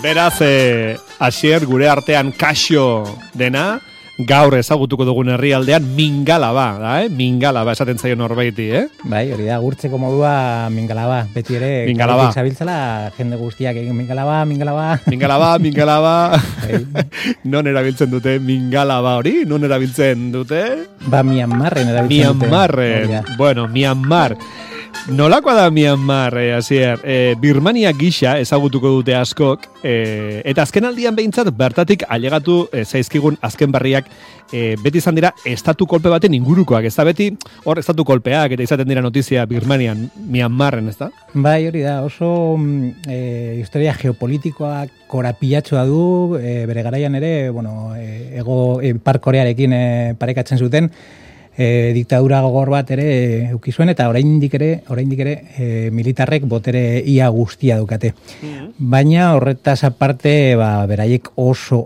Beraz, Asier gure artean kaxo dena, gaur ezagutuko dugun herrialdean Mingalaba, da, Mingalaba esaten zaio norbaiti, Bai, hori da, gurtzeko modua Mingalaba, beti ere, Mingalaba. Zabiltzala, jende guztiak egin Mingalaba. Mingalaba. Non erabiltzen dute Mingalaba hori? Non erabiltzen dute? Ba, Myanmarren erabiltzen dute. Myanmarren, bueno, Myanmar. Nolakoa da Myanmar, Asier? Birmania gisa ezagutuko dute askok, eta azken aldian behintzat bertatik ailegatu zaizkigun azken berriak beti izan dira estatu kolpe baten ingurukoak, ez da beti hor estatu kolpeak eta izaten dira notizia Birmanian, Myanmarren, ez da? Bai, hori da, oso historia geopolitikoak korapilatxoa du, bere garaian ere, bueno, Ipar Korearekin parekatzen zuten, diktadura gogor bat ere eukizuen eta oraindik ere militarrek botere ia guztia dukate. Baina horretaz aparte, beraiek oso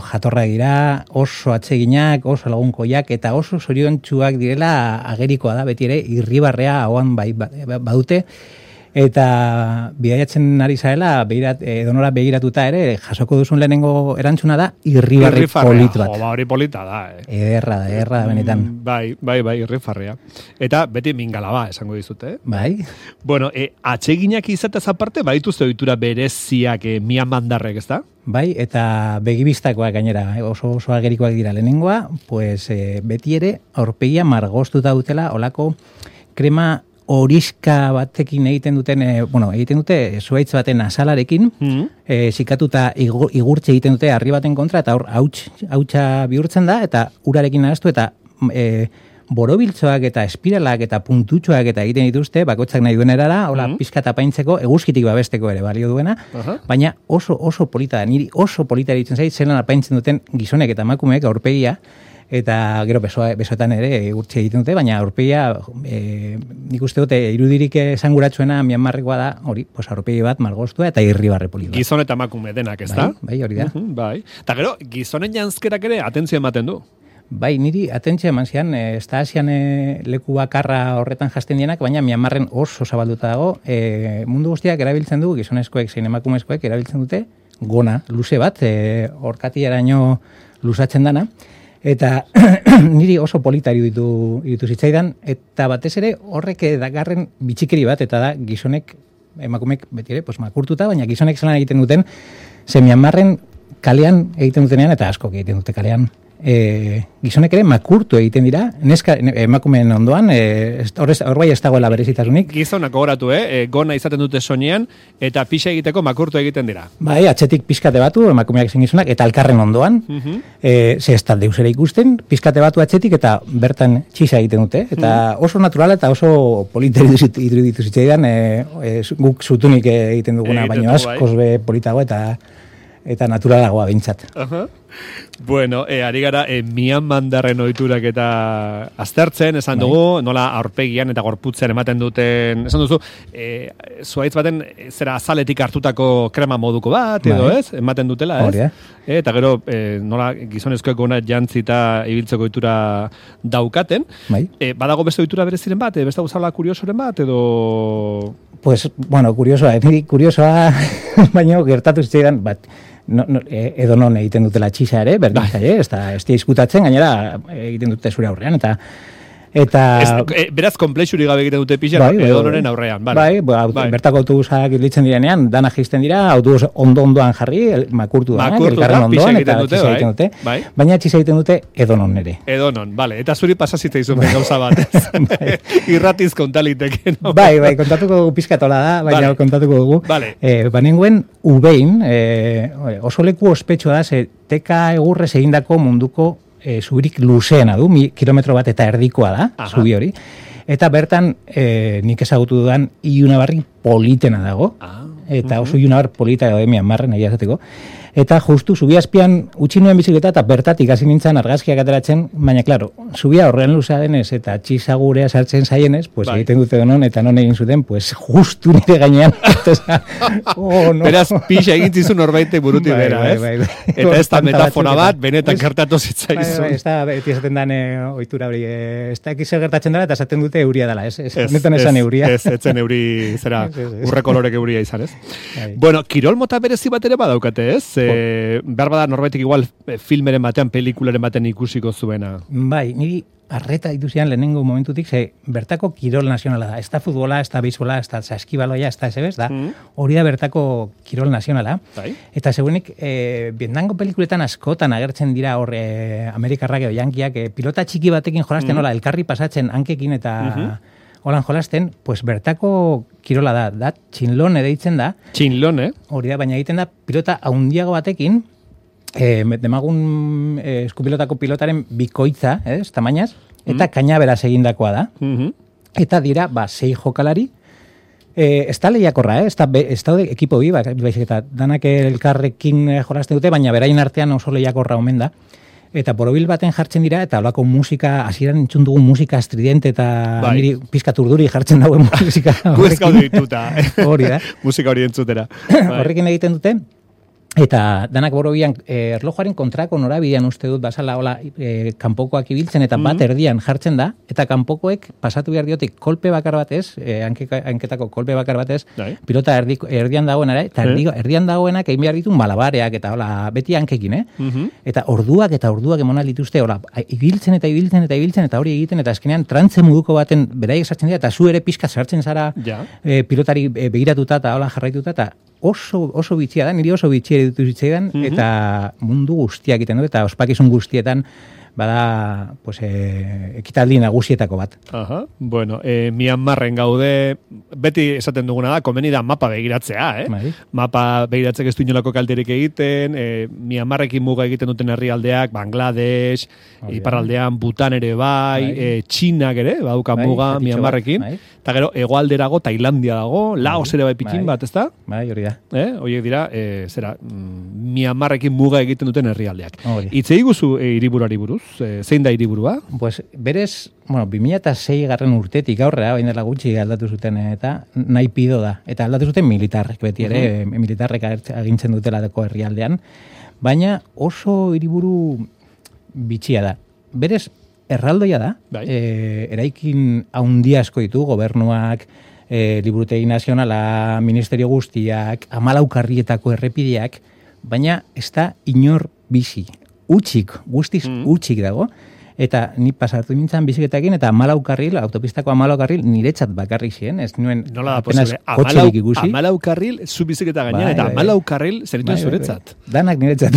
jatorra dira, oso atseginak, oso lagunkoiak eta oso zoriontsuak direla agerikoa da, beti ere irribarrea hauan badute. Eta bidaiatzen ari zarela, edonora begiratuta ere, jasoko duzun lehenengo erantzuna da, irribarri polit bat. Hori polita da, Ederra da, benetan. Bai, irrifarrea. Eta beti Mingalaba, esango dizute, Bai. Bueno, atseginak izatez aparte, badituzte ohitura bereziak Myanmarrek, ez da? Bai, eta begibistakoak gainera, oso agerikoak dira lehenengoa, pues beti ere, aurpegia margoztuta dutela, olako krema horiska batekin egiten dute zuaitz baten azalarekin, sikatuta igurtze egiten dute harri baten kontra, eta hor hautsa bihurtzen da, eta urarekin nahaztu, eta borobiltzoak eta espiralak eta puntutxoak eta egiten dituzte, bakoitzak nahi duen erara, hola pizka tapaintzeko, eguzkitik babesteko ere balio duena, baina oso polita da, niri oso polita ditzen zait, zelan apaintzen duten gizonek eta emakumeek aurpegia, eta gero besoetan ere urtsi egiten dute, baina aurpegia, nik uste dute, irudirik esanguratsuena Myanmarrekoa da, hori, pues aurpegi bat margoztua eta irribarre polit bat. Gizon eta emakume denak, ez da? Bai, hori da. Bai. Eta gero, gizonen janzkerak ere atentzio ematen du. Bai, niri atentzio eman zian, ez da asian leku bakarra horretan jasten dienak, baina Myanmarren oso zabalduta dago, mundu guztiak erabiltzen du, gizonezkoek zein emakumezkoek erabiltzen dute, gona, luze bat, orkatiaraino luzatzen dana, eta niri oso politari ditu zitzaidan, eta batez ere horrek dakarren bitxikeri bat, eta da gizonek, emakumek beti ere, pues, makurtuta, baina gizonek zelan egiten duten, ze Myanmarren kalean egiten dutenean, eta askok egiten dute kalean, gizonek ere makurtu egiten dira, emakumeen ondoan, hor bai ez dagoela berezitasunik. Gizonak gogoratu, gona izaten dute soinean, eta pixa egiteko makurtu egiten dira. Bai, atzetik pizkate batu, emakumeak zen gizonak, eta alkarren ondoan, ze ez talde usera ikusten, pizkate batu atzetik, eta bertan txisa egiten dute, eta oso naturala eta oso politeri ditu zitzaidan, guk zutunik egiten duguna, baino askoz be politago eta naturalagoa bintzat. Bueno, ari gara Myanmarren ohiturak eta aztertzen, esan dugu, nola aurpegian eta gorputzean ematen duten, esan duzu, zuaitz baten zera azaletik hartutako krema moduko bat, edo ez, ematen dutela, ez? Eta gero, nola gizonezkoek gona jantzita ibiltzeko ohitura daukaten, badago beste ohitura bereziren bat, beste gauzala kuriosoren bat, edo... Pues, bueno, kuriosoa, baina gertatu zitzaidan, bat, edo non egiten dutela txisa ere, berdin zaie, ez da izkutatzen, gainera egiten dute zure aurrean, beraz, komplexurik gabe egiten dute pixan, edo noren aurrean. Bai, bertako autobusak irlitzen direnean, dana jisten dira, autobus ondoan jarri, makurtu da, elkarren ondoan, eta txisa egiten dute. Baina txisa egiten dute edonon ere. Edonon, bale. Eta zuri pasazita izun gauza bat. Irratiz kontaliteke, no? Bai, kontatuko dugu pizkatola da, baina kontatuko dugu. Banenguen ubein, oso leku ospetsua da, ze teka egurrez egindako munduko zubirik luzeena du, kilometro bat eta erdikoa da, zubi hori. Eta bertan, nik ezagutu dudan, iunabarri politena dago. Eta oso iunabar polita edo Myanmarren, nahi azateko. Eta justu zubiazpian utzi nuen bizikleta eta bertatik hasi nintzen argazkiak ateratzen, baina klaro, zubia horren luzea denez eta txizagurea sartzen zaienez, pues egiten dute donon eta non egin zuten, pues justu nire gainean. No. Beraz, pixa egin zizun norbaite buruti bera, ez? Bai. Eta ez da metafora bat, benetan gertatu zitzaizun. Ez da, beti esaten dan ohitura hori, ez da ekize gertatzen dela eta esaten dute euria dela, ez? Netan esan euria. Ez etzen euri, zera, urre kolorek euria izan, ez? Bueno, kirol mota berezi bat ere badaukate, ez? Behar bada norbaitik igual filmeren batean, pelikularen batean ikusiko zuena. Bai, niri arreta dituzian lehenengo momentutik, bertako kirol nazionala da. Ez da futbola, ez da beisbola, ez da saskibaloia, ez da ezebez, da. Hori da bertako kirol nazionala. Eta segurenik, Vietnamgo pelikuletan askotan agertzen dira hor Amerikarrak edo Yankiak, pilota txiki batekin jolasten, hola, elkarri pasatzen hankekin eta... Holan jolasten, pues bertako kirola da txinlone deitzen da. Txinlone? Hori da, baina egiten da pilota haundiago batekin, demagun eskupilotako pilotaren bikoitza, tamainaz, eta kainaberaz egindakoa da. Eta dira, 6 jokalari, ez da lehiakorra, ez da ekipo bi, baizik eta danak elkarrekin jolasten dute, baina berain artean oso lehiakorra omen da. Eta borobil baten jartzen dira, eta holako musika, hasieran entzun dugun musika estridente eta niri pizkat urduri jartzen dauen musika. Guez gaude dituta. Hori da. Musika hori entzutera. Horrekin egiten dute, eta danak borobian erlojuaren kontrako norabidean uste dut, basala hola kanpokoak ibiltzen, eta bat erdian jartzen da, eta kanpokoek pasatu behar diotik kolpe bakar batez, hanketako kolpe bakar batez, pilota erdian dagoenara, eta erdian dagoenak egin behar ditu malabareak, eta hola, beti hankekin, Eta orduak emonal dituzte, hola, ibiltzen, eta hori egiten, eta azkenean trantze muduko baten beraiek sartzen dira, eta zu ere pizka sartzen zara pilotari begiratuta, eta hola jarraituta, eta oso bitxia da, niri oso bitxia ditu zitzaidan, eta mundu guztiak egiten du, eta ospakizun guztietan bada pues, ekitaldi nagusietako bat. Bueno, Myanmarren gaude, beti esaten duguna da, komeni da mapa begiratzea, Mapa begiratzek ez du inolako kalterik egiten, Myanmarrekin muga egiten duten herrialdeak, Bangladesh, iparraldean Bhutan ere bai, Txinak ere, baduka muga Myanmarrekin, eta gero, hegoalderago Tailandia dago, Laos ere bai pikin bat, ez da? Bai, hori da. Horiek dira, Myanmarrekin muga egiten duten herrialdeak. Itzei guzu hiriburuari buruz? Zein da hiriburua? Pues, berez, 2006 garren urtetik aurrera, bain dela gutxi aldatu zuten, eta Naipido da. Eta aldatu zuten militarrek, beti ere, militarrek agintzen dutela deko herrialdean. Baina oso hiriburu bitxia da. Berez, erraldoia da, eraikin haundia asko ditu, gobernuak, liburutegi nazionala, ministerio guztiak, 14 karrietako errepideak, baina ez da inor bizi. Guztiz utxik dago, eta ni pasartu nintzen biziketekin, eta 14 karril, autopistako 14 karril, niretzat bakarrik ziren, ez nuen apenas kotxerik ikusi. 14 karril, zu biziketa gainean, eta 14 karril zerituen zuretzat. Danak niretzat.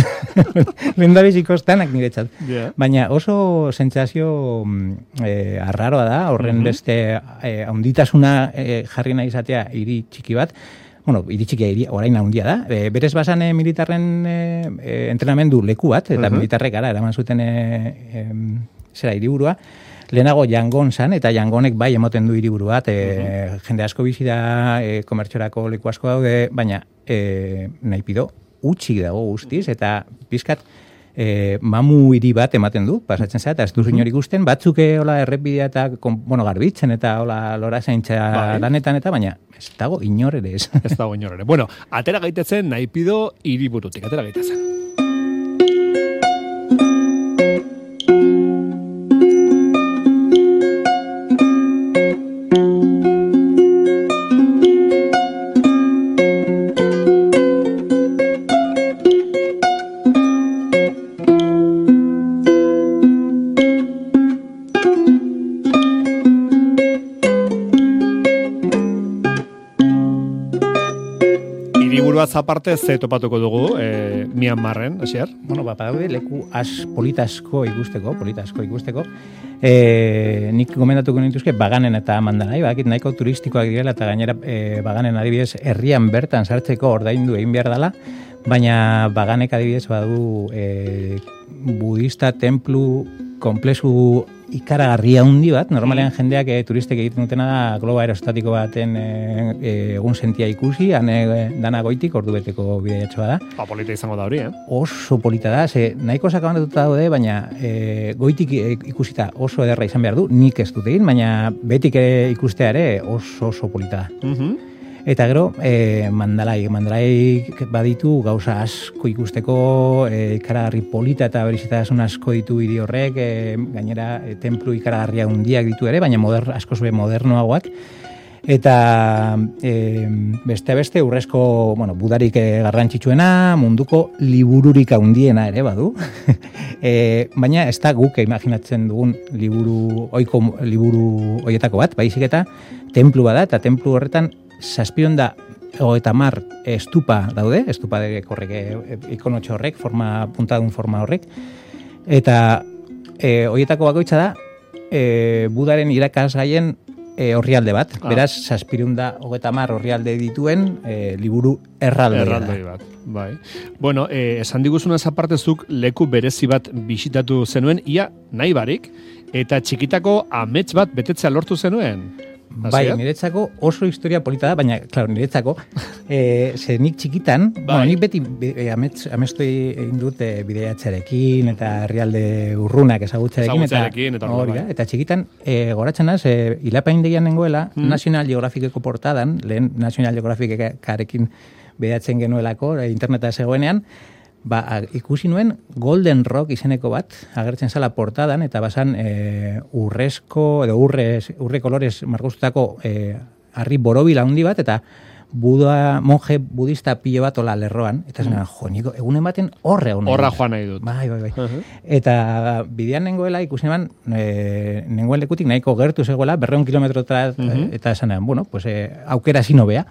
Lendabizikoz, danak niretzat. Baina oso sentsazio arraroa da, horren beste haunditasuna jarri nahi izatea hiri txiki bat, hiri txikia orain handia da. Berez basan militarren entrenamendu leku bat, eta militarrek gara, eraman zuten hiriburua. Lehenago Yangon zan, eta Yangonek bai emoten du hiriburu bat, jende asko bizi da, komertxorako leku asko daude, baina Naipido utxik dago guztiz, eta pizkat mamu hiri bat ematen du, pasatzen zera, eta ez duzu inor ikusten, batzuk errepidea eta garbitzen, eta lora zaintza lanetan, eta baina ez dago inor ere ez. Ez dago inor ere. Bueno, atera gaitezen Naipido hiriburutik, atera gaitezen. Aparte ze topatuko dugu Myanmarren, hasier? Badaude leku politasko ikusteko. Nik gomendatuko nituzke Baganen eta Mandanai, bakit nahiko turistikoak direla, eta gainera Baganen adibidez herrian bertan sartzeko ordaindu egin behar dela, baina Baganek adibidez badu budista templu komplexu ikaragarria handi bat, normalean jendeak turistek egiten dutena da globo aerostatiko baten egun sentia ikusi, dana goitik ordubeteko bidaiatxoa da. Polita izango da hori, Oso polita da, nahiko sakabandatuta daude, baina goitik ikusita oso ederra izan behar du, nik ez dut egin, baina betik ikustea ere oso polita da. Eta gero, mandalai baditu gauza asko ikusteko, ikaragarri polita eta berizitasun asko ditu hiri horrek, gainera templu ikaragarria handiak ditu ere, baina askoz modernoagoak. Eta beste urrezko, budarik garrantzitsuena, munduko libururik handiena ere badu. Baina ez da guk imaginatzen dugun oiko liburu hoietako bat, baizik eta templu bada, eta templu horretan 750 estupa daude, estupa horrek, ikonotxo horrek, puntadun forma horrek, eta horietako bakoitza da, Budaren irakasgaien orrialde bat. Beraz, 750 orrialde dituen liburu erraldoi bat. Bai. Bueno, esan diguzunaz apartezuk leku berezi bat bisitatu zenuen, ia nahi barik, eta txikitako amets bat betetzea lortu zenuen. Bai, niretzako oso historia polita da, baina, klaro, niretzako, nik txikitan, nik beti amestu egin dut bideiatzearekin eta herrialde urrunak ezagutzearekin, eta txikitan, goratzen az, hilapaindegian nengoela, National Geographiceko portadan, lehen National Geographicekarekin bideiatzen genuelako, interneta zegoenean, ikusi nuen Golden Rock izeneko bat, agertzen zala portadan, eta basan urrezko, edo urre kolorez margoztutako harri borobil handi bat, eta monje budista pilo bat ola lerroan, eta zen, niko, egunen baten horra joan nahi dut. Bai. Eta bidean nengoela ikusi neban, nengoen lekutik nahiko gertu zegoela, 200 kilometrotara, eta esan neban, aukera zinobea.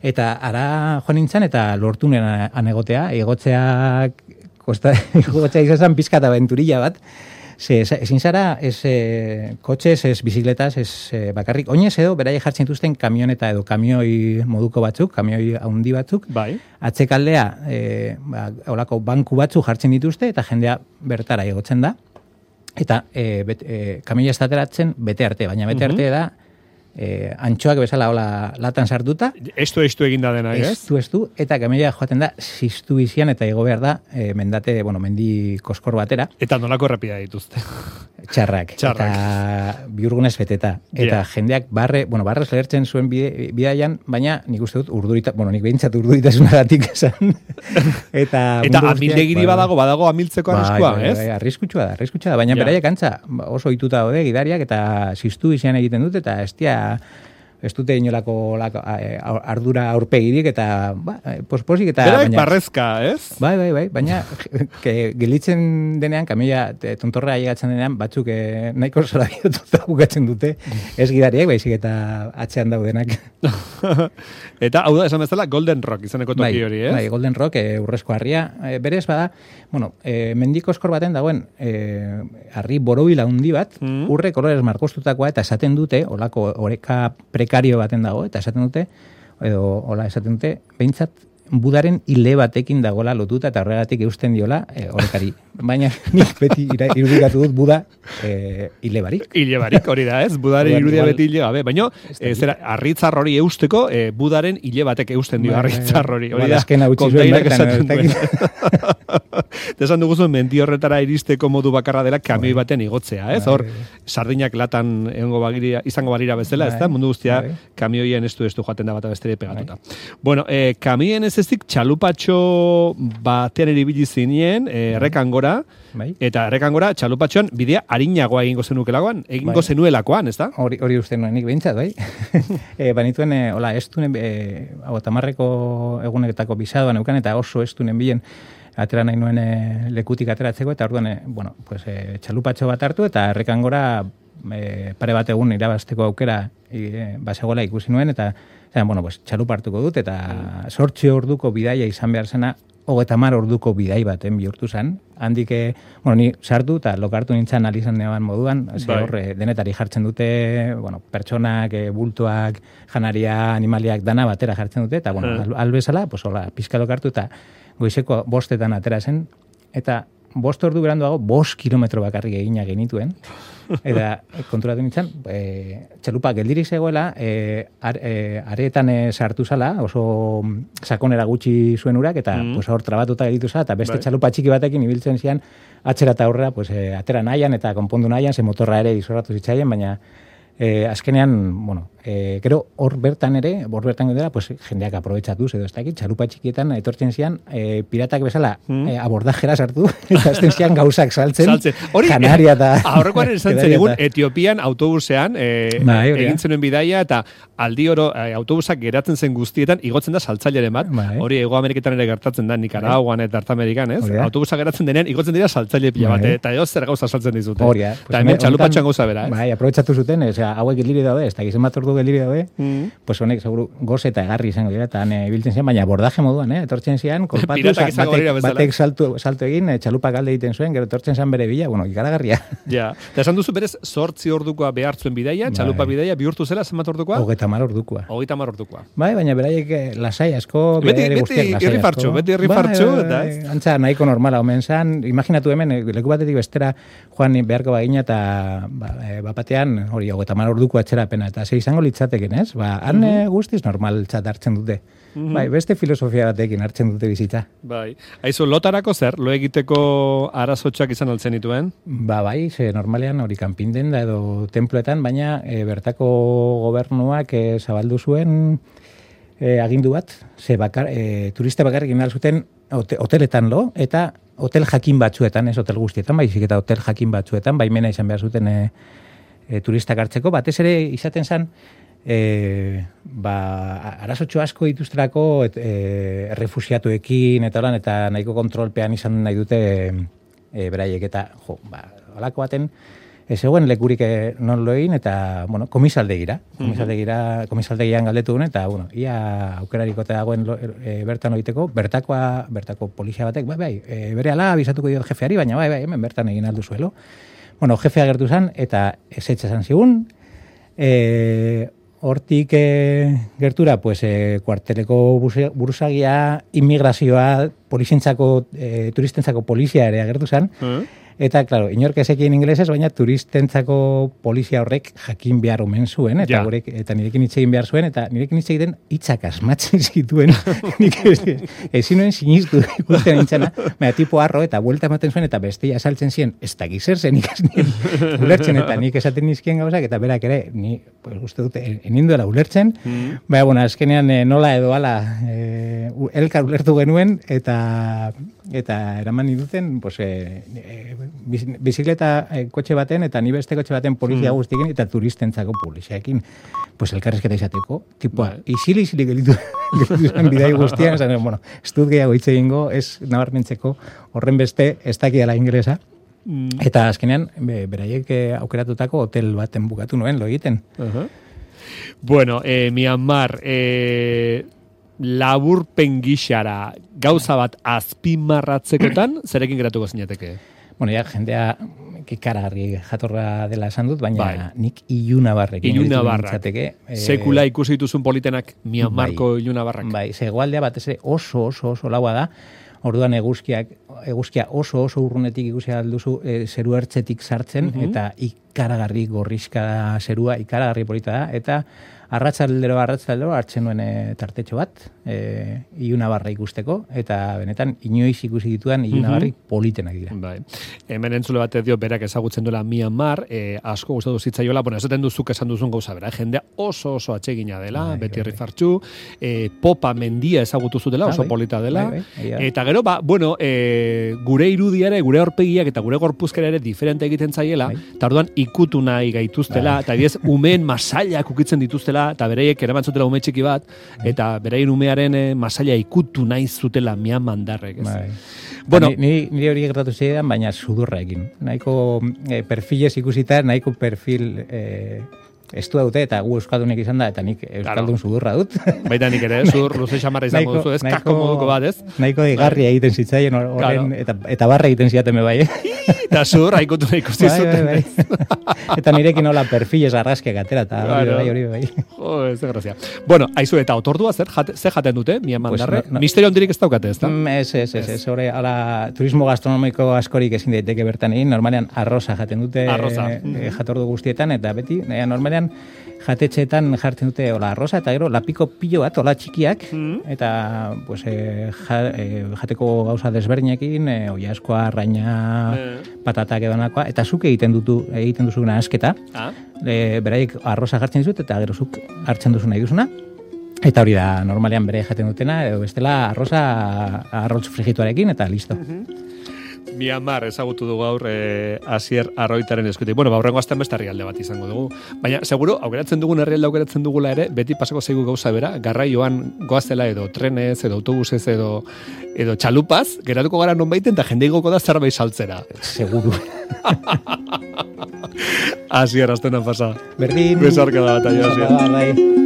Eta ara joan nintzen, eta lortu nuen anegotea, egotzea izan pizkat aventurilla bat, ezin zara, kotxez, ez bizikletas, ez bakarrik, oinez edo, berai jartzen dituzten kamioneta edo kamioi moduko batzuk, kamioi handi batzuk, atzekaldea, olako banku batzuk jartzen dituzte, eta jendea bertara egotzen da, eta kamioia estateratzen bete arte, baina bete arte da, antxoak bezala hola latan sartuta. Estu eginda dena, ez? Estu, eta kamioia joaten da, ziztu bizian, eta igo behar da, mendi koskor batera. Eta nolako errepida dituzte? Txarrak. Eta biurgunez beteta. Eta jendeak barrez lehertzen zuen bidaian, baina nik uste dut nik behintzat urduritasunagatik esan. Eta amildegiri badago amiltzeko arriskua, ez? Arriskutsua da, baina beraiek antza oso ituta daude gidariak, eta ziztu bizian egiten dut, eta ez dute inolako ardura aurpegirik, eta posposik, eta... Berak barrezka, ez? Bai, baina gelitzen denean, kamioia tontorra llegatzen denean, batzuk nahiko zora biotuta bukatzen dute, ez gidariek, baizik eta atzean daudenak. Eta, hau da, esan bezala, Golden Rock izaneko toki hori, ez? Bai, Golden Rock, urrezko harria, berez bada, mendiko eskor baten dagoen, harri borobila handi bat, urre kolorez markostutakoa, eta esaten dute, olako oreka prekario baten dago, eta esaten dute, behintzat, Budaren hile batekin dagoela lotuta, eta horregatik eusten diola orekari. Baina nik beti irudikatu dut Buda hile barik. Hile barik, hori da, ez? Budaren irudia beti hile gabe. Baina, arritzar hori eusteko, Budaren hile batek eusten dio arritzar hori. Hori da, kontainak esaten duen. Esan duguzuen, mendi horretara iristeko modu bakarra dela kamioi baten igotzea, ez? Hor, sardinak latan izango balira bezala, ez da? Mundu guztia, kamioien estu joaten da bat abestere pegatuta. Bueno, kamioien ez ezik txalupatxo batean eribili zinien, errekan gora, eta errekan gora, txalupatxoan bidea harinagoa egingo zenuelakoan, ez da? Hori uste nuen, nik behintzat, bai? Banituen, estunen, tamarreko egunetako bisadoan eukan, eta oso estunen bilen, atera nahi nuen lekutik ateratzeko, eta orduan, txalupatxo bat hartu, eta errekan gora pare bat egun irabazteko aukera basegola ikusi nuen, eta txalupa hartuko dut, eta 8 orduko bidaia izan behar zena, 30 orduko bidai baten bihurtu zen. Handik, ni sartu eta lokartu nintzen alizan neban moduan, horre denetari jartzen dute, pertsonak, bultuak, janaria, animaliak, dana batera jartzen dute, eta albezala, pizka lokartu eta goizeko 5 atera zen, eta 5 ordu beranduago 5 kilometro bakarrik egina genituen. Eta konturatu nintzen, txalupa geldirik zegoela, areetan sartu zala, oso sakonera gutxi zuen urak, eta pues, hor trabatuta gelitu zala, eta beste txalupa txiki batekin ibiltzen zian, atzera eta aurrera, pues, atera nahian eta konpondu nahian, ze motorra ere izorratu zitzaien, baina azkenean, bueno, gero hor bertan gedera, pues, jendeak aprobetxatuz, edo ez dakit, txalupa txikietan etortzen zian, piratak bezala abordajera sartu, eta azten zian gauzak saltzen. Kanaria eta... Aurrekoan esan zen egun, Etiopian autobusean egin zenuen bidaia, eta aldi oro autobusak geratzen zen guztietan, igotzen da saltzaileren bat, hori Hego Ameriketan ere gertatzen da, Nikaraguan eta Artamerikan, ez? Autobusak geratzen denean, igotzen dira saltzaile pila bat, eta edo zer gauza saltzen dizute. Eta hemen txalupatxoan gauza bera, ez? Bai, aprobetxatu zuten, hauek geliri daude, ez da gizien bat ordu geliri daude, pues honek, seguru, goze eta egarri izango dira, eta ibiltzen zian, baina abordaje moduan, etortzen zian, kolpatu, batek salto egin, txalupak alde egiten zuen, gero etortzen zian bere bila, bueno, ikaragarria. Ja, eta esan duzu berez, 8 ordukoa behartzuen bidaia, txalupa bidaia, bihurtu zela, zenbat ordukoa? 30 ordukoa. 30 ordukoa. Bai, baina beraiek lasai asko, beti irri fartxu, eta ez? Antza, nahiko normala omen zan, imaginatu hemen, leku batetik bestera joan beharko bagina, eta bapatean, hori, 30 orduko atxerapena, eta ze izango litzateken, ez? Han guztiz normal txat hartzen dute. Bai, beste filosofia batekin hartzen dute bizitza. Bai. Aizu, lotarako zer? Lo egiteko arazotxak izan altzen dituen? Bai, ze normalean hori kanpinden da edo temploetan, baina bertako gobernuak zabaldu zuen agindu bat, ze turista bakarrik inal zuten hoteletan lo, eta hotel jakin batzuetan, ez hotel guztietan, baizik eta hotel jakin batzuetan, baimena izan behar zuten turistak hartzeko, batez ere izaten zen, arazotxo asko dituzterako refusiatuekin eta lan, eta nahiko kontrolpean izan nahi dute beraiek, eta alako baten zegoen lekurik non loin, eta bueno, komisaldegian galdetu duen, eta bueno, ia aukerariko eta dagoen bertan oiteko, bertako polizia batek, bere ala abizatuko diot jefeari, baina hemen bertan egin aldu zuelo. Bueno, jefea gertu zen, eta ezetxe zan zigun, hortik gertura, pues, kuarteleko buruzagia, immigrazioa, turistentzako polizia ere agertu zen, eta, klaro, inork ezekien ingelesez, baina turistentzako polizia horrek jakin behar omen zuen, eta nirekin hitz egin behar zuen, eta nirekin hitz egiten hitzak asmatzen zituen, nik ezin nuen sinistu ikusten nintzena, baina tipo arro, eta buelta ematen zuen, eta bestia saltzen ziren, ez da gizer zen ikasnien ulertzen, eta nik esaten nizkien gauzak, eta berak ere, ni, pues, uste dute, eninduela ulertzen, baina, bueno, azkenean nola edo ala elkar ulertu genuen, eta eraman ninduten, pues, bizikleta kotxe baten, eta ni beste kotxe baten polizia guztiekin, eta turistentzako poliziaekin, pues, elkarrezketa izateko, tipua, izili gelitu zen bidai guztian, esan, bueno, ez dut gehiago hitz egingo, ez nabarmentzeko horren beste ez dakiala ingelesa, eta azkenean, beraiek aukeratutako hotel baten bukatu nuen, lo egiten. Bueno, Myanmar, laburpen gixara gauza bat azpimarratzekotan, zerekin geratuko zinateke? Bueno, ja, jendea kikaragarri jatorra dela esan dut, baina nik ilunabarrekin. Ilunabarrak. Sekula ikusi dituzun politenak Myanmarko ilunabarrak. Bai, zegoaldea batez oso laua da. Orduan eguzkia oso urrunetik ikusi alduzu zeru ertzetik sartzen, eta ikaragarri gorrizka zerua, ikaragarri polita da, eta arratsaldero hartzen nuen tartetxo bat, ilunabarra ikusteko, eta benetan inoiz ikusi ditudan ilunabarri politenak dira. Bai. Hemen entzule bat dio berak ezagutzen duela Myanmar, asko gustatu zitzaiola, bueno, esaten duzuk esan duzun gauza bera, jendea oso atsegina dela, beti rifartxu, popa mendia ezagutu zutela, oso polita dela, eta gero, bueno, gure irudiare, gure aurpegiak eta gure gorpuzkera ere diferente egiten zaiela, eta orduan ikutu nahi gaituztela, eta diez, umeen masailak ukitzen dituztela, eta bereiek eraman zutela ume txiki bat, eta bereien umearen masaila ikutu nahi zutela Myanmardarrek. Bueno, nire hori gertatu zidan, baina sudurra egin. Nahiko perfilez ikusita, nahiko perfil ez du daute, eta gu euskaldunik izan da, eta nik euskaldun sudurra dut. Baita nik ere, zur luze xamarra izango duzu, ez kasko moduko bat, ez? Nahiko digarria egiten zitzaien horren, eta barra egiten ziaten bebai. Eta zur, haikutu nahi ikusti zuten. Eta nirekin hola perfilez argazkiak atera, eta hori bai. Jo, ez da grazia. Bueno, aizu, eta otordua ze jaten dute, Miamandarre? Misterio ondirik ez daukate, ez da? Ez, hori, turismo gastronomiko askorik ezin daiteke bertan egin, normalean arroza jaten dute jatordu guztietan, eta beti, normalean jatetxeetan jartzen dute hola arroza, eta gero lapiko pilo bat, hola txikiak, eta pues, jateko gauza desberdinekin, oiaskoa, arraina, patatak edonakoa, eta zuk egiten duzu nahasketa, beraik arroza jartzen dizut, eta gero zuk hartzen duzu nahi duzuna, eta hori da, normalean bere jaten dutena, edo bestela arroz frigituarekin, eta listo. Miamar ezagutu dugu gaur Asier Arroitaren eskutik. Bueno, horrengo astean beste herrialde bat izango dugu. Baina, seguro, aukeratzen dugun herrialde aukeratzen dugula ere, beti pasako zaigu gauza bera, garraioan goazela edo trenez, edo autobusez, edo txalupaz, geratuko gara nonbaiten, eta jende igoko da zerbait saltzera. Seguru. Asier, astena pasa. Berdin. Besarka da bat, Asier.